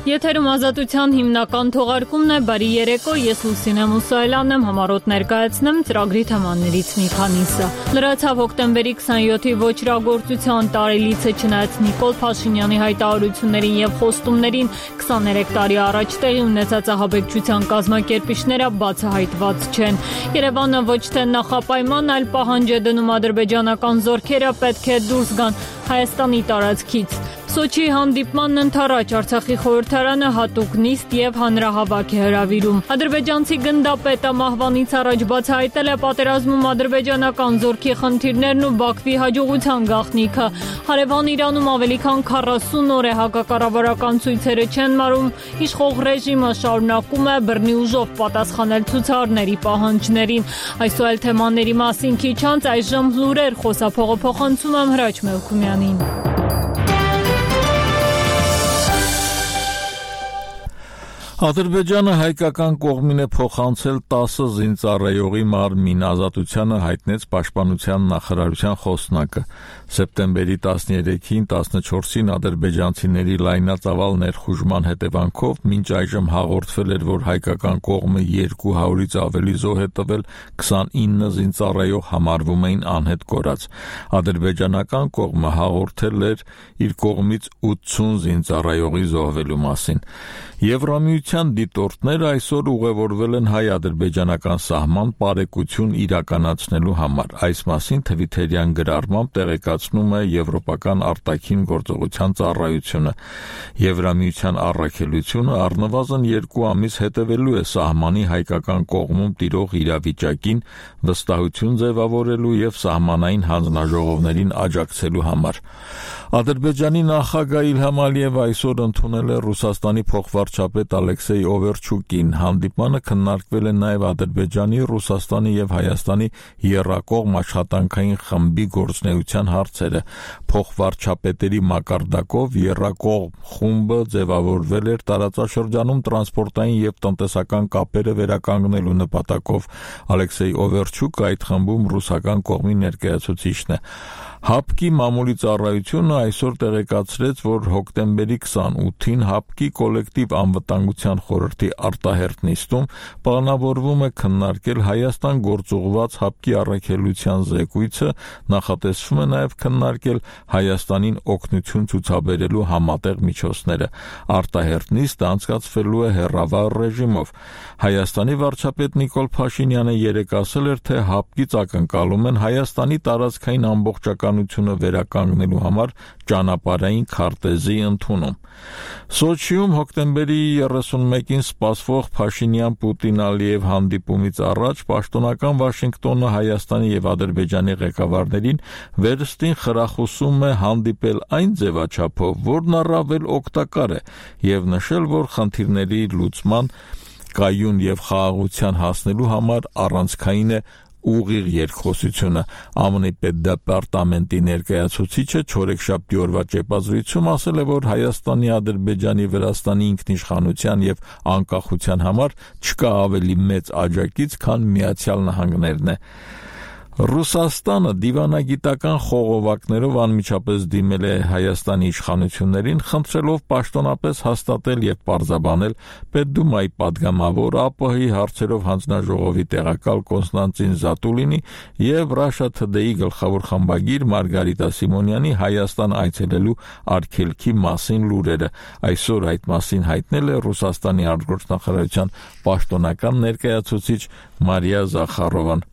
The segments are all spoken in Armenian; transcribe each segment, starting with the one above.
Եթերում ազատության հիմնական թողարկումն է, բարի երեկո, ես Լուսինե Մուսայելյանն եմ, համառոտ ներկայացնեմ ծրագրի թեմաներից մի քանիսը։ Լրացավ հոկտեմբերի 27-ի ոճրագործության տարելիցը, չնայած Նիկոլ Փաշինյանի հայտարարություններին եւ խոստումներին 23 տարի առաջ տեղի ունեցած ահաբեկչության կազմակերպիչները բացահայտված չեն։ Երևանը ոչ թե նախապայման, այլ պահանջ է դնում ադրբեջանական զորքերը պետք է դուրս գան Հայաստանի տարածքից։ Սոչիի հանդիպմանն ընդառաջ Արցախի խորհրդարանը հատուկ նիստ եւ հանրահավաք է հրավիրում։ Ադրբեջանցի գնդապետը մահվանից առաջ բացահայտել է պատերազմում ադրբեջանական զորքի խնդիրներն ու Բաքվի հաջողության գաղտնիքը։ Հարևան Իրանում ավելի քան 40 օր է հակակառավարական ցույցերը չեն մարում, իշխող ռեժիմը շարունակում է բռնի ուժով պատասխանել ցուցարարների պահանջներին։ Այսօր այլ թեմաների մասին քիչ անց այժմ լուրեր խոսափողը փոխանցում եմ Հրաչ Մելքումյանին։ Ադրբեջանը հայկական կողմին է փոխանցել 10 զինծառայողի մարմին, ազատությանը հայտնեց Պաշտպանության նախարարության խոսնակը։ Սեպտեմբերի 13-ին 14-ին ադրբեջանցիների լայնածավալ ներխուժման հետևանքով մինչ այժմ հաղորդվել էր, որ հայկական կողմը 200-ից ավելի զոհ է տվել, 29 զինծառայող համարվում էին անհետ կորած։ Ադրբեջանական կողմը հաղորդել էր իր կողմից 80 զինծառայողի զոհվելու մասին։ Եվրամիության դիտորդները այսօր ուղևորվել են հայ-ադրբեջանական սահման պարեկություն իրականացնելու համար։ Այս մասին թվիթերյան գրառմամբ տեղեկացնում է Եվրոպական արտաքին գործողության ծառայությունը։ Եվրամիության առաքելությունը առնվազն 2 ամիս հետևելու է սահմանի հայկական կողմում տիրող իրավիճակին, վստահություն ձևավորելու եւ սահմանային հանձնաժողովներին աջակցելու համար։ Ադրբեջանի նախագահ Իլհամ Ալիևը այսօր ընդունել է Ռուսաստանի փոխվարչապետ Ալեքսեյ Օվերչուկին։ Հանդիպմանը քննարկվել է նաև Ադրբեջանի, Ռուսաստանի եւ Հայաստանի եռակողմ աշխատանքային խմբի գործունեության հարցերը։ Փոխվարչապետերի մակարդակով եռակողմ խումբը ձևավորվել էր տարածաշրջանում տրանսպորտային եւ տնտեսական կապերը վերականգնելու նպատակով։ Ալեքսեյ Օվերչուկը այդ խմբում ռուսական կողմի ներկայացուցիչն է։ ՀԱՊԿ-ի մամուլի ծառայությունը այսօր տեղեկացրեց, որ հոկտեմբերի 28-ին ՀԱՊԿ-ի կոլեկտիվ անվտանգության խորհրդի արտահերթ նիստում պլանավորվում է քննարկել Հայաստան գործուղված ՀԱՊԿ-ի առաքելության զեկույցը, նախատեսվում է նաև քննարկել Հայաստանին օգնություն ցուցաբերելու համատեղ միջոցները։ Արտահերթ նիստը անցկացվելու է հեռավար ռեժիմով։ Հայաստանի վարչապետ Նիկոլ Փաշինյանը երեկ ասել էր, թե ՀԱՊԿ-ից ակնկալում են Հայաստանի տարածքային ամբողջականությունը վերականգնելու համար ճանապարհային քարտեզի ընդունում։ Սոչիում հոկտեմբերի 31-ին սպասվող Փաշինյան-Պուտին-Ալիև հանդիպումից առաջ պաշտոնական Վաշինգտոնը Հայաստանի եւ Ադրբեջանի ղեկավարներին վերստին խրախուսում է հանդիպել այն ձևաչափով, որն առավել օգտակար է, եւ նշել, որ խնդիրների լուծման կայուն եւ խաղաղության հասնելու համար առանցքային է ուղիղ երկխոսությունը։ ԱՄՆ-ի պետդեպարտամենտի ներկայացուցիչը չորեքշաբթի օրվա ճեպազրույցում ասել է, որ Հայաստանի, Ադրբեջանի, Վրաստանի ինքնիշխանության եւ անկախության համար չկա ավելի մեծ աջակից, քան Միացյալ Նահանգներն է։ Ռուսաստանը դիվանագիտական խողովակներով անմիջապես դիմել է Հայաստանի իշխանություններին, խնդրելով պաշտոնապես հաստատել եւ պարզաբանել Պետդումայի падգամավոր ԱՊՀ-ի հարցերով հանձնաժողովի տեղակալ Կոնստանտին Զատուլինի եւ Russia Today-ի գլխավոր խմբագիր Մարգարիտա Սիմոնյանի Հայաստան այցելելու արգելքի մասին լուրերը։ Այսօր այդ մասին հայտնել է Ռուսաստանի արտգործնախարարության պաշտոնական ներկայացուցիչ Մարիա Զախարովան։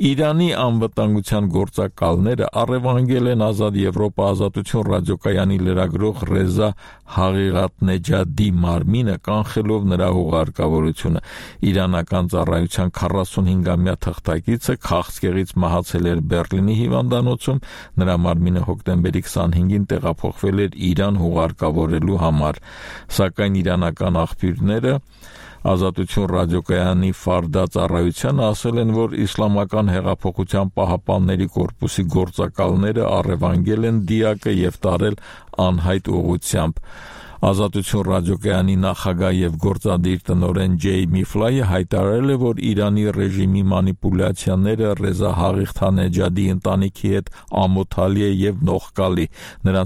Իրանի անվտանգության գործակալները առևանգել են Ազատ Եվրոպա ազատություն ռադիոկայանի լրագրող Ռեզա Հաղիղաթնեջադի մարմինը, կանխելով նրա հուղարկավորությունը։ Իրանական ծառայության 45-ամյա թղթակիցը քաղցկեղից մահացել էր Բեռլինի հիվանդանոցում, նրա մարմինը հոկտեմբերի 25-ին տեղափոխվել էր Իրան հուղարկավորելու համար, սակայն իրանական աղբյուրները Ազատություն ռադիոկայանի Ֆարդա ծառայությանը ասել են, որ Իսլամական հեղափոխության պահապանների կորպուսի գործակալները առևանգել են դիակը եւ տարել անհայտ ուղղությամբ։ Ազատություն ռադիոկայանի նախագահ եւ գործադիր տնօրեն Ջեյմի Ֆլայը հայտարարել է, որ Իրանի ռեժիմի մանիպուլյացիաները Ռեզա Հաղիղաթնեջադի ընտանիքի հետ ամոթալի է եւ նողկալի։ Նրանց